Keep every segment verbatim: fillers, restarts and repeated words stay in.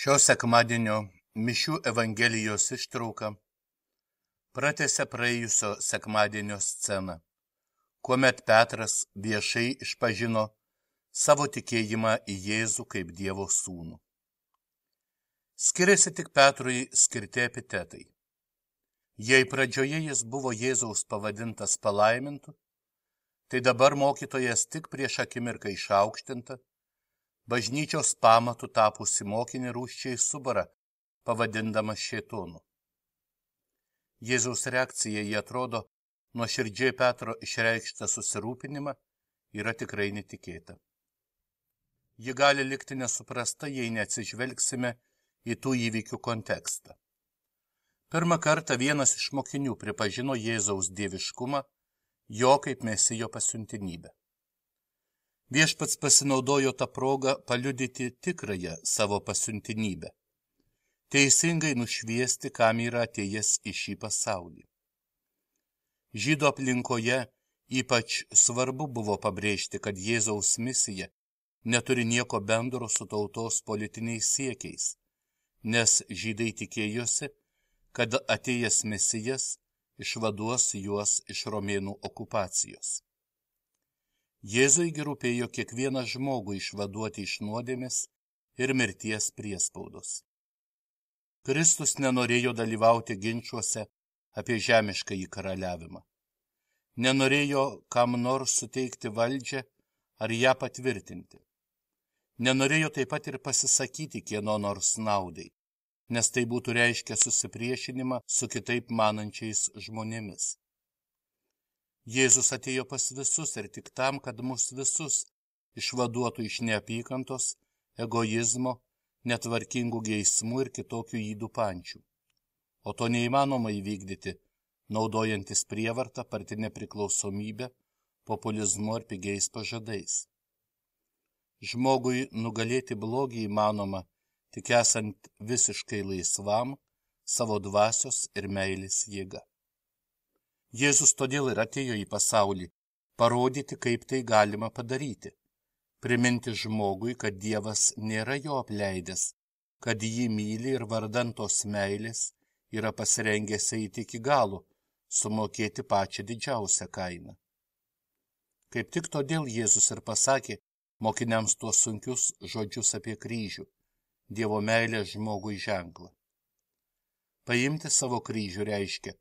Šio sekmadienio mišių Evangelijos ištrauka pratęsia praėjusio sekmadienio sceną, kuomet Petras viešai išpažino savo tikėjimą į Jėzų kaip Dievo sūnų. Skiriasi tik Petrui skirti epitetai. Jei pradžioje jis buvo Jėzaus pavadintas palaimintu, tai dabar mokytojas tik prieš akimirką išaukštinta, bažnyčios pamatų tapusi mokinį rūsčiai subara, pavadindamas šėtonu. Jėzaus reakcija į atrodo nuoširdžiai Petro išreikštą susirūpinimą yra tikrai netikėta. Ji gali likti nesuprasta, jei neatsižvelgsime į tų įvykių kontekstą. Pirmą kartą vienas iš mokinių pripažino Jėzaus dieviškumą, jo kaip mesijo pasiuntinybę. Viešpats pasinaudojo tą progą paliudyti tikrąją savo pasiuntinybę, teisingai nušviesti, kam yra atėjęs į šį pasaulį. Žydų aplinkoje ypač svarbu buvo pabrėžti, kad Jėzaus misija neturi nieko bendro su tautos politiniais siekiais, nes žydai tikėjosi, kad atėjęs mesijas išvaduos juos iš romėnų okupacijos. Jėzui rūpėjo kiekvieną žmogų išvaduoti iš nuodėmės ir mirties priespaudos. Kristus nenorėjo dalyvauti ginčuose apie žemiškąjį karaliavimą. Nenorėjo kam nors suteikti valdžią ar ją patvirtinti. Nenorėjo taip pat ir pasisakyti kieno nors naudai, nes tai būtų reiškę susipriešinimą su kitaip manančiais žmonėmis. Jėzus atėjo pas visus ir tik tam, kad mus visus išvaduotų iš neapykantos, egoizmo, netvarkingų geismų ir kitokių ydų pančių. O to neįmanoma įvykdyti, naudojantis prievartą, partinę priklausomybę, populizmu ar pigiais pažadais. Žmogui nugalėti blogį įmanoma, tik esant visiškai laisvam, savo dvasios ir meilės jėga. Jėzus todėl ir atėjo į pasaulį, parodyti, kaip tai galima padaryti, priminti žmogui, kad Dievas nėra jo apleidęs, kad jį myli ir vardan tos meilės yra pasirengęs eiti iki galo, sumokėti pačią didžiausią kainą. Kaip tik todėl Jėzus ir pasakė mokiniams tuos sunkius žodžius apie kryžių, Dievo meilę žmogui ženklą. Paimti savo kryžių reiškia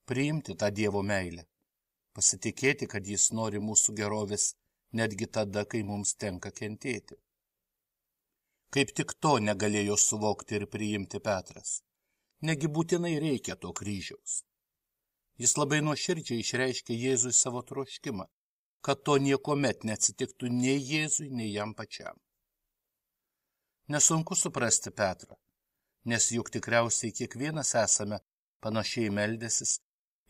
priimti tą Dievo meilę, pasitikėti, kad jis nori mūsų gerovės netgi tada, kai mums tenka kentėti. Kaip tik to negalėjo suvokti ir priimti Petras. Negi būtinai reikia to kryžiaus. Jis labai nuoširdžiai išreiškė Jėzui savo troškimą, kad to niekuomet neatsitiktų nei Jėzui, nei jam pačiam. Nesunku suprasti Petrą, nes juk tikriausiai kiekvienas esame panašiai meldęsis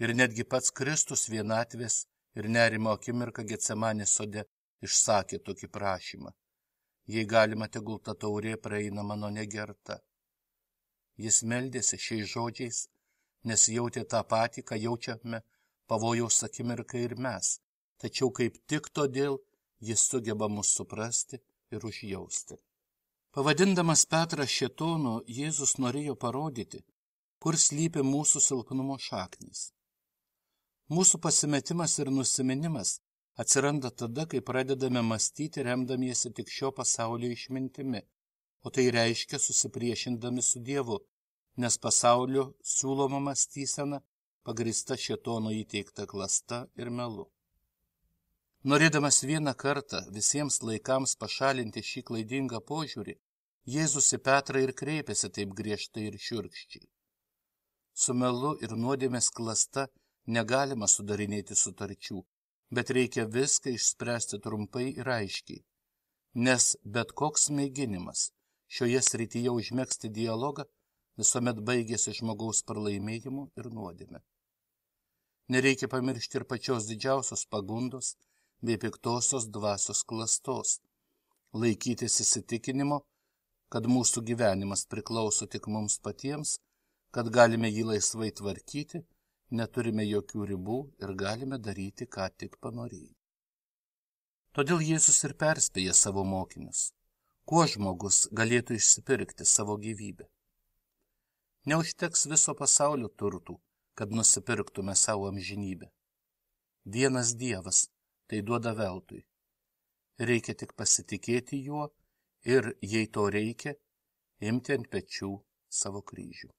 ir netgi pats Kristus vienatvės ir nerimo akimirką Getsemanės sode išsakė tokį prašymą. Jei galima, tegul ta taurė praeina mano negerta. Jis meldėsi šiais žodžiais, nes jautė tą patį, ką jaučiame pavojaus akimirką ir mes, tačiau kaip tik todėl jis sugeba mus suprasti ir užjausti. Pavadindamas Petrą šėtonu, Jėzus norėjo parodyti, kur slypi mūsų silpnumo šaknys. Mūsų pasimetimas ir nusiminimas atsiranda tada, kai pradedame mąstyti remdamiesi tik šio pasaulio išmintimi, o tai reiškia susipriešindami su Dievu, nes pasaulio siūloma mąstysena pagrįsta šėtono įteikta klasta ir melu. Norėdamas vieną kartą visiems laikams pašalinti šį klaidingą požiūrį, Jėzus į Petrą ir kreipėsi taip griežtai ir šiurkščiai. Su melu ir nuodėmės klasta negalima sudarinėti sutarčių, bet reikia viską išspręsti trumpai ir aiškiai, nes bet koks mėginimas šioje srityje užmegzti dialogą visuomet baigėsi žmogaus pralaimėjimu ir nuodėme. Nereikia pamiršti ir pačios didžiausios pagundos bei piktosios dvasios klastos, laikytis įsitikinimo, kad mūsų gyvenimas priklauso tik mums patiems, kad galime jį laisvai tvarkyti, neturime jokių ribų ir galime daryti, ką tik panorėjai. Todėl Jėzus ir perspėja savo mokinius. Kuo žmogus galėtų išsipirkti savo gyvybę? Neužteks viso pasaulio turtų, kad nusipirktume savo amžinybę. Vienas Dievas tai duoda veltui. Reikia tik pasitikėti juo ir, jei to reikia, imti ant pečių savo kryžių.